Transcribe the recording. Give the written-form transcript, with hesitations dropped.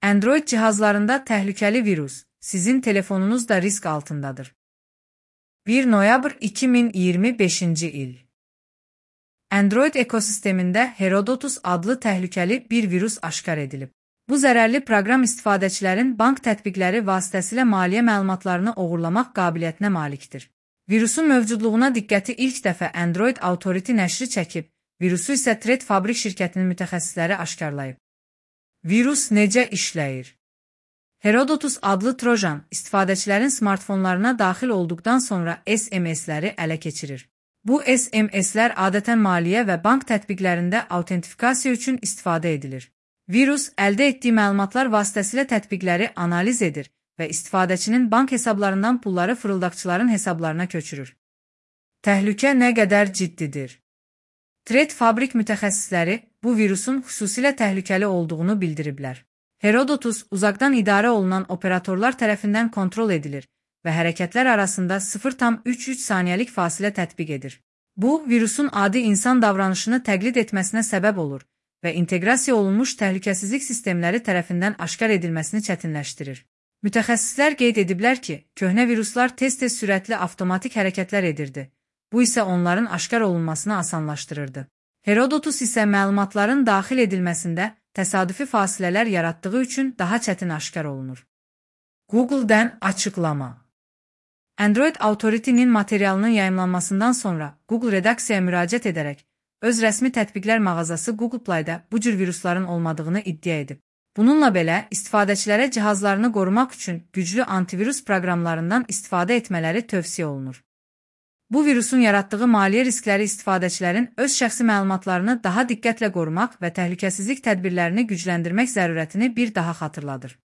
Android cihazlarında təhlükəli virus, sizin telefonunuz da risk altındadır. 1 noyabr 2025-ci il. Android ekosistemində Herodotus adlı təhlükəli bir virus aşkar edilib. Bu zərərli proqram istifadəçilərin bank tətbiqləri vasitəsilə maliyyə məlumatlarını oğurlamaq qabiliyyətinə malikdir. Virusun mövcudluğuna diqqəti ilk dəfə Android Authority nəşri çəkib, virusu isə Threat Fabric şirkətinin mütəxəssisləri aşkarlayıb. Virus necə işləyir? Herodotus adlı trojan istifadəçilərin smartfonlarına daxil olduqdan sonra SMS-ləri ələ keçirir. Bu SMS-lər adətən maliyyə və bank tətbiqlərində autentifikasiya üçün istifadə edilir. Virus əldə etdiyi məlumatlar vasitəsilə tətbiqləri analiz edir və istifadəçinin bank hesablarından pulları fırıldaqçıların hesablarına köçürür. Təhlükə nə qədər ciddidir? Threat Fabric mütəxəssisləri bu virusun xüsusilə təhlükəli olduğunu bildiriblər. Herodotus uzaqdan idarə olunan operatorlar tərəfindən kontrol edilir və hərəkətlər arasında 0,33 saniyəlik fasilə tətbiq edir. Bu, virusun adi insan davranışını təqlid etməsinə səbəb olur və inteqrasiya olunmuş təhlükəsizlik sistemləri tərəfindən aşkar edilməsini çətinləşdirir. Mütəxəssislər qeyd ediblər ki, köhnə viruslar tez-tez sürətli avtomatik hərəkətlər edirdi. Bu isə onların aşkar olunmasını asanlaşdırırdı. Herodotus isə məlumatların daxil edilməsində təsadüfi fasilələr yaratdığı üçün daha çətin aşkar olunur. Google-dən açıqlama. Android Authority-nin materialının yayımlanmasından sonra Google redaksiyaya müraciət edərək öz rəsmi tətbiqlər mağazası Google Play-da bu cür virusların olmadığını iddia edib. Bununla belə, istifadəçilərə cihazlarını qorumaq üçün güclü antivirus proqramlarından istifadə etmələri tövsiyə olunur. Bu virusun yaratdığı maliyyə riskləri istifadəçilərin öz şəxsi məlumatlarını daha diqqətlə qorumaq və təhlükəsizlik tədbirlərini gücləndirmək zərurətini bir daha xatırladır.